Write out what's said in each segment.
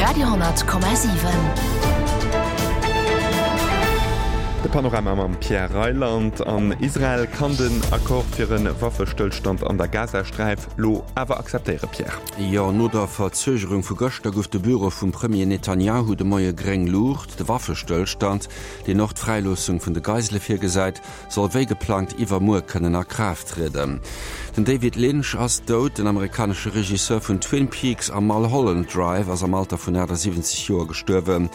Radio,7. De Panorama mam Pierre Reyland. An Israel kann den Accord fir e Waffestëllstand an der Gazasträif lo awer akzeptéieren, Pierre. Jo, no der Verzögerung vu gëschter gouf de Büro vum Premier Netanjahu de Moie gréng Luucht. De Waffestëllstand, deen och d'Fräiloossung vun de Geisele virgesäit, soll wéi geplangt iwwermuer kënnen a Kraaft trieden. Den David Lynch ass dout. Den amerikanesche Regisseur vun Twin Peaks a Mulholland Drive ass am Alter vun 78 Joer gestuerwen.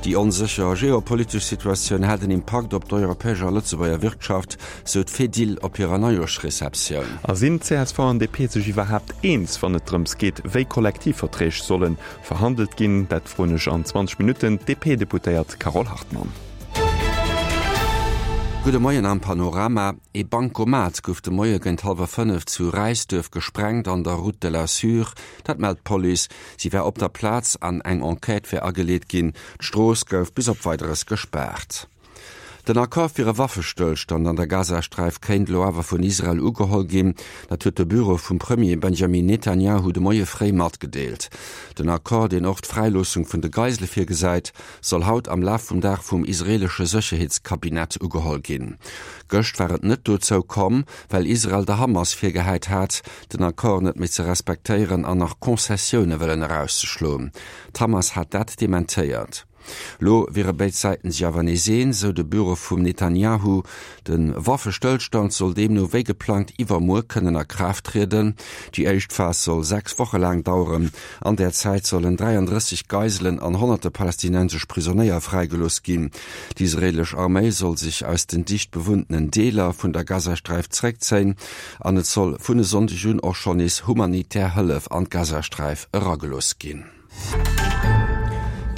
Déi onsécher geopolitesch Situatioun hätt en Impakt op d'europäesch a Lëtzebuerger Wirtschaft, sou d'Fedil op hirer Neijoerschreceptioun. A sinn csv an DP sech iwwerhaapt eens, wann et drëms geet, wéi Kollektivverträg solle verhandelt ginn? Dat froen ech an 20 Minutten d'DP-Deputéiert Carole Hartmann. Gudde Moien am Panorama. Ee Bancomat gouf de Moie géint hallwer 5 zu Räisduerf gesprengt an der Route de la Sûre. Dat mellt d'Police. Si war op der Plaz an eng Enquête wär ageleet ginn. D'Strooss gouf bis op Weideres gespaart. Den Accord fir e Waffestëllstand an der Gazasträif kéint elo awer vun Israel ugeholl ginn. Dat huet de Büro vum Premier Benjamin Netanjahu de Moie fréi matgedeelt. Den Accord, deen och d'Fräiloossung vun de Geisele virgesäit, soll haut am Laf vum Dag vum israeelesche Sécherheetskabinett ugeholl ginn. Gëscht war et net dozou komm, well Israel der Hamas virgehäit hat, den Accord net méi ze respektéieren an nach Concessioune wëllen erauszeschloen. D'Hamas hat dat dementéiert. Lo wiere béid Säiten sech awer nees eens, sou de Büro vum Netanjahu. De Waffestëllstand soll deemno wéi geplangt iwwermuer kënnen a Kraaft trieden. Déi éischt Phas soll 6 Woche laang daueren. An där Zäit sollen 33 Geiselen an honnerte palästinensesch Prisonéier fräigelooss ginn. D'israeelesch Arméi soll sech aus den dicht bewunntenen Deeler vun der Gazasträif zeréckzéien an et soll vun e Sonndeg un och schonn nees humanitär Hëllef an d'Gazasträif eragelooss ginn.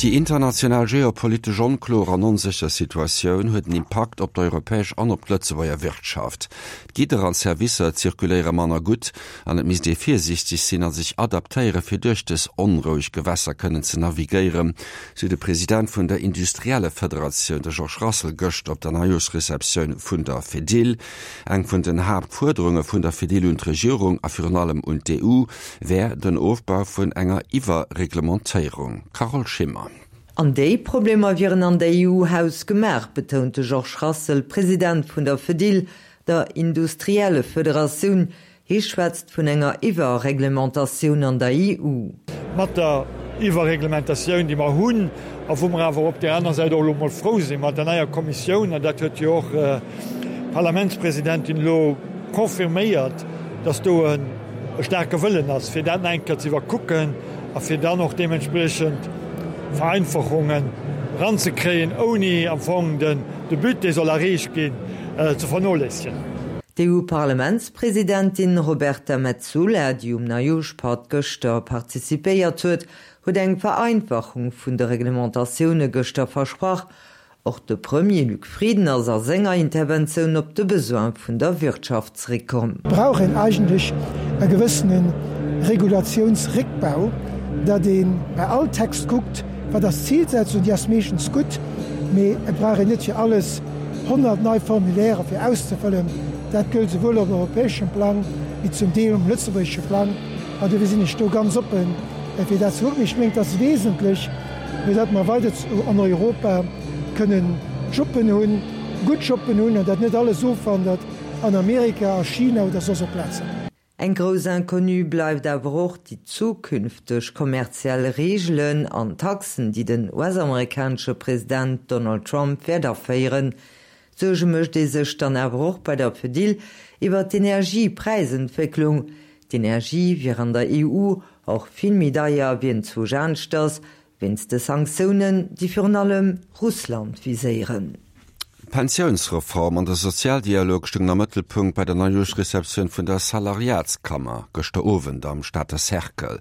Déi international geopolitesch onkloer an onsécher Situatioun huet en Impakt op d'europäesch an op d'Lëtzebuerger Wirtschaft. D'Gidder an d'Servicer zirkuléiere manner gutt an et misst ee virsiichteg sinn a sech adaptéiere fir duerch dës onroueg Gewässer kënnen ze navigéieren, sou de President vun der Industriellefederatioun, de Georges Rassel, gëschter op der Neijooschreceptioun vun der Fedil. Eng vun den Haaptfuerderunge vun der Fedil un d'Regierung a virun allem un d'EU wär den Ofbau vun enger Iwwerreglementéierung. Carole Schimmer. An déi Problemer wieren an der EU hausgemaach, betount de Georges Rassel, President vun der Fedil, der Industriellefederatioun. Hie schwätzt vun enger Iwwerreglementatioun an der EU. Mat der Iwwerreglementatioun, déi mer hunn, a wou mer awer op där aner Säit och elo emol frou sinn, mat der neier Kommissioun, an dat huet jo och d'Parlamentspresidentin elo confirméiert, dass do e staarke Wëllen ass, fir dat nach eng Kéier ze iwwerkucken a fir dann och deementspriechend Vereinfachungen eranzekréien, ouni am Fong de But, dee soll erreecht ginn, ze vernoléissegen. D'EU-Parlamentspresidentin Roberta Metsola, déi um Neijoerschpatt gëschter participéiert huet, huet eng Vereinfachung vun de Reglementatioune gëschter versprach. Och de Premier Luc Frieden ass a senger Interventioun op de Besoin vun der Wirtschaft zeréckkomm. Brauch een eigentlech e gewëssene Regulatiounsréckbau, datt ee bei all Text kuckt, wat ass d'Zilsetzung, déi ass meeschtens gutt, mee et brauch een net fir alles 100 nei Formulairë fir auszefëllen. Dat gëllt souwuel op europäeschem Plang wéi zum Deel um lëtzebuergesche Plang. An dofir sinn ech do ganz oppen, fir dat ze kucken. Ech mengen, et ass wesentlech, fir datt mer weider an Europa kënnen Jobben hunn, gutt Jobben hunn, an datt net alles ofwandert an Amerika, a China oder soss op Plazen. Eng grouss Inconnue bleift awer och déi zukünfteg kommerziell Reegelen an Taxen, déi den US-amerikanesche President Donald Trump wäert aféieren. Suerge mécht ee sech dann awer och bei der Fedil iwwer d'Energiepräisentwécklung. D'Energie wier an der EU och vill méi deier wéi enzwousch aneschters, wéinst de Sanktiounen, déi virun allem Russland viséieren. D'Pensiounsreform an de Sozialdialog stoungen am Mëttelpunkt bei der Neijoerschreceptioun vun der Salariatskammer gëschter Owend am Stater Cercle.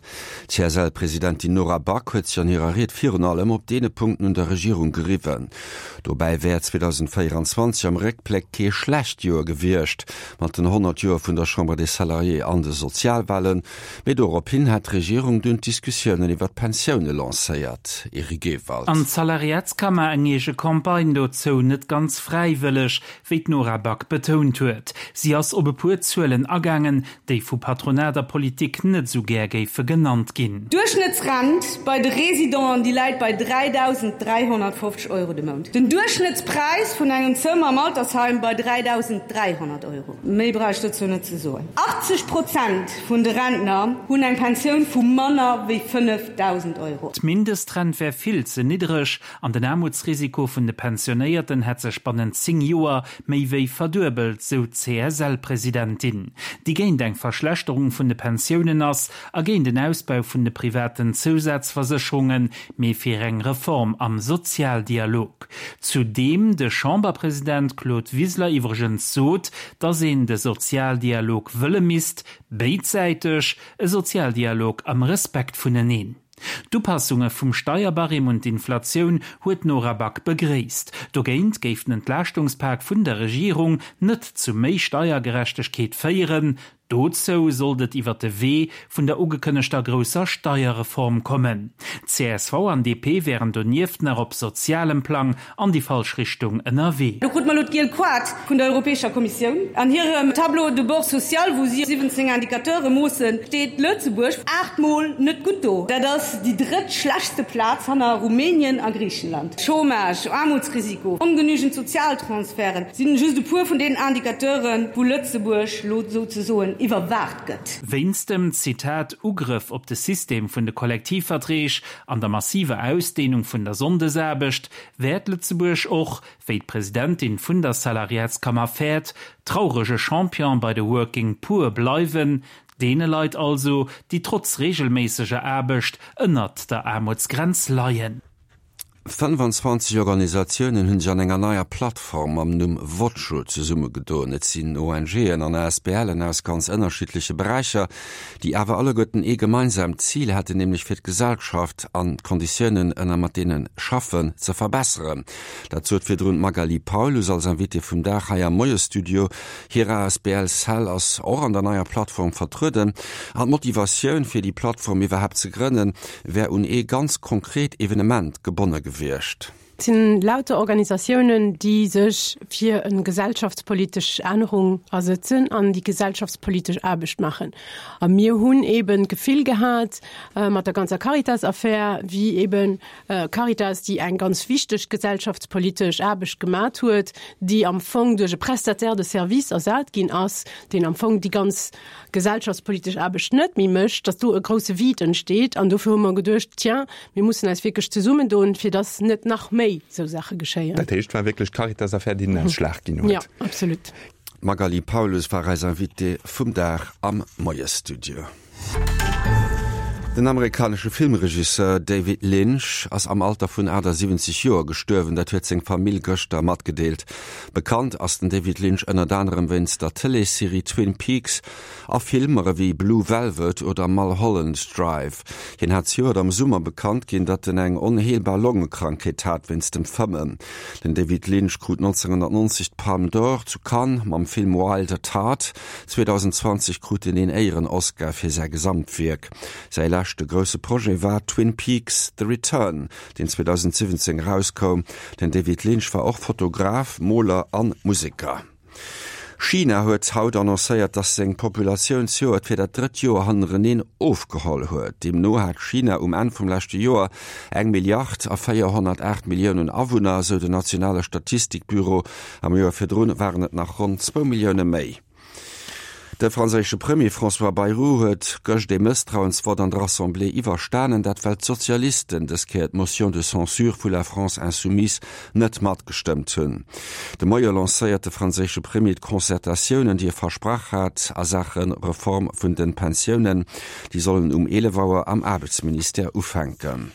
D'CSL-Presidentin Nora Back huet sech an hirer Ried virun allem op deene Punkten un der Regierung geriwwen. Dobäi wär 2024 am Réckbléck kee schlecht Joer gewiescht, mat den 100 Joer vun der Chambre des Salariés an de Sozialwahlen. Mee dorop hin hat d'Regierung dunn d'Diskussiounen iwwer d'Pensioune lancéiert. Eric Ewald. An d'Salariatskammer eng eege Campagne dozou, net ganz. fräiwëlleg, wéi d'Nora Back betount huet. Si ass op e puer Zuelen agaangen, déi vu Patronat a Politik net esou gär géife genannt ginn. D'Duerchschnëttsrent bei de Residenten, déi läit bei 3.350 Euro de Mount. Den Duerchschnëttspräis vun engem Zëmmer am Altersheim bei 3.300 Euro. Méi brauch ech dozou net ze soen. 80 Prozent vun de Rentner hunn eng Pensioun vu manner wéi 5.000 Euro. D'Mindestrent wär vill ze niddereg an den Aarmutsrisiko vun de Pensionéierten hätt sech bannent 10 Joer méi wéi verduebelt, sou d'CSL-Presidentin, déi géint eng Verschlechterung vun de Pensiounen ass a géint en Ausbau vun de privaten Zousazversécherungen, mee fir eng Reform am Sozialdialog. Zu deem de Chamberpresident Claude Wiseler iwwregens sot, datt een de Sozialdialog wëlle misst, béidsäiteg, e Sozialdialog am Respekt vuneneen. D'Upassunge vum Steierbarème un d'Inflatioun huet d'Nora Back begréisst. Dogéint géif den Entlaaschtungspak vun der Regierung net zu méi Steiergerechtegkeet féieren. Dozou sollt et iwwer de Wee vun der ugekënnegter grousser Steierreform kommen. Csv an DP wären donieft nach op sozialem Plang an déi falsch Richtung ënnerwee. Do krute mer elo d'giel Koart vun der Europäescher Kommissioun. An hirem Tableau de bord social, wou si 17 Indicateure moossen, steet Lëtzebuerg 8 Mol net gutt do. Dat ass déi drëtt schlechtste Plaz hanner Rumänien a Griichenland. Chômage, Aarmutsrisiko, ongenügend Sozialtransferten sinn just e puer vun deenen Indicateuren, wou Lëtzebuerg lo souzesoen iwwerwaacht gëtt. Wéinst dem, Zitat, Ugrëff op de System vun de Kollektivverträg an der massiver Ausdehnung vun der Sonndesaarbecht wäert Lëtzebuerg och, wéi d'Presidentin vun der Salariatskammer fäert, traurege Champion bei de Working Poor bleiwen, deene Leit also, déi trotz reegelméisseger Aarbecht ënnert der Aarmutsgrenz leien. 25 Organisatiounen hunn sech an enger neier Plattform mam Numm Voco zesummegedoen. Et sinn ONGen an ASBLen aus ganz ënnerschiddleche Beräicher, déi awer alleguerten ee gemeinsaamt Zil hätten, nämlech fir d'Gesellschaft an d'Konditiounen ënner mat deene schaffen ze verbesseren. Dat sot virdrun d'Magali Paulus als Invitée vum Dag hei am Moiesstudio. Hir asbl Cell ass och an der neier Plattform vertrueden. An d'Motivatioun fir déi Plattform iwwerhaapt ze grënnen, wär un ee ganz konkret Evenement gebonne gewiescht. Et sinn lauter Organisatiounen, déi sech fir e gesellschaftspolitesch Ännerung asëtzen an déi gesellschaftspolitesch Aarbecht maachen. A mir hunn eeben d'Gefill gehat, mat der ganzer Caritas-Affär, wéi eeben Caritas, déi eng ganz wichteg gesellschaftspolitesch Aarbecht gemat huet, déi am Fong duerch e Prestataire de service ersat ginn ass, deen am Fong déi ganz gesellschaftspolitesch Aarbecht net méi mécht, datt do e grouse Vide entsteet. An dofir hu mer geduecht, tiens, mir mussen eis wierklech zesummendoen, fir datt net nach méi esou Saache geschéien. Dat heescht, et war wierklech d'Caritas-Affär, déi den Ausschlag ginn huet? Jo, absolut. D'Magali Paulus war eis Invitée vum Dag am Moiesstudio. Den amerikanesche Filmregisseur David Lynch ass am Alter vun 78 Joer gestuerwen. Dat huet seng Famill gëschter matgedeelt. Bekannt ass den David Lynch ënnert anerem wéinst der Tëleesserie Twin Peaks a Filmer ewéi Blue Velvet oder Mulholland Drive. Hien hat zejoert am Summer bekannt ginn, datt en eng onheelbar Longekrankheet hat wéinst dem Fëmmen. Den David Lynch krut 1990 d'Palme d'Or zu Cannes mam Film Wild at Heart. 2020 krut en een Éieren-Oscar fir säi Gesamtwierk. Säi leschte grousse Projet war Twin Peaks, The Return, deen 2017 erauskoum. Den David Lynch war och Fotograf, Moler an Museker. China huet haut annoncéiert, dass seng Populatioun zejoert fir dat drëtt Joer hannereneen ofgeholl huet. Deemno hat China um Enn vum leschte Joer eng Milliard a 408 Milliounen Awunner, sou den nationale Statistikbüro. Am Joer virdrun waren et nach ronn zwou Millioune méi. De franséische Premier François Bayrou huet gëscht ee Mësstrauensvott an der Assemblée iwwerstanen, dat well d'Sozialisten dës Kéier d'Motion de censure vu La France Insoumise net matgestëmmt hunn. De Moie lancéiert de franséische Premier d'Concertatiounen, déi e versprach hat a Saache Reform vun de Pensiounen. Déi sollen um 11 Auer am Aarbechtsministère ufänken.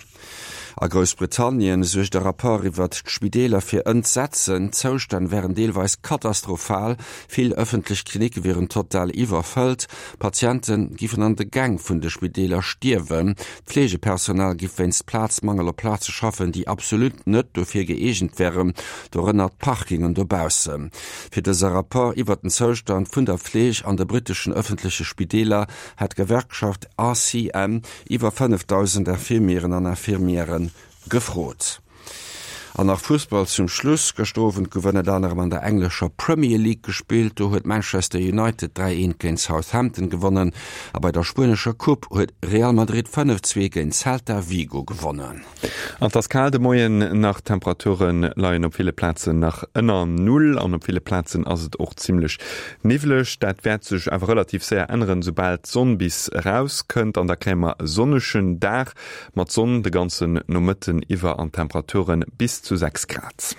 A Groussbritannien suergt e Rapport iwwert d'Spideeler fir Entsetzen. D'Zoustänn wären deelweis katastrophal, vill ëffentlech Klinicke wieren total iwwerfëllt, Patiente giffen an de Gäng vun de Spideeler stierwen, d'Fleegepersonal giff wéinst Plazmangel op Plaze schaffen, déi absolut net dofir gëeegent wären, dorënner d'Parkingen dobaussen. Fir dëse Rapport iwwert den Zoustand vun der Fleeg an de britteschen ëffentleche Spideeler hat d'Gewerkschaft ACM Iwwer 5.000 Infirmieren an Infirmièren gefrot. An nach Fussball zum Schluss, Gëschter Owend gouf ënnert anerem an der englescher Premier League gespillt. Do huet Manchester United 3, 1 géint Southampton gewonnen a bei der spuenescher Coupe huet Real Madrid 5, 2 géint Celta Vigo gewonnen. An et ass kal de Moien nach, d'Temperature leien op ville Plazen nach ënner Null an op ville Plazen ass et och zimmlech niwwleg. Dat wäert sech awer relativ séier änneren, soubal d'Sonn bis erauskënnt an da kréie mer e sonnegen Dag mat Sonn de ganzen Nomëtten iwwer an Temperature bis zu 6 Grad.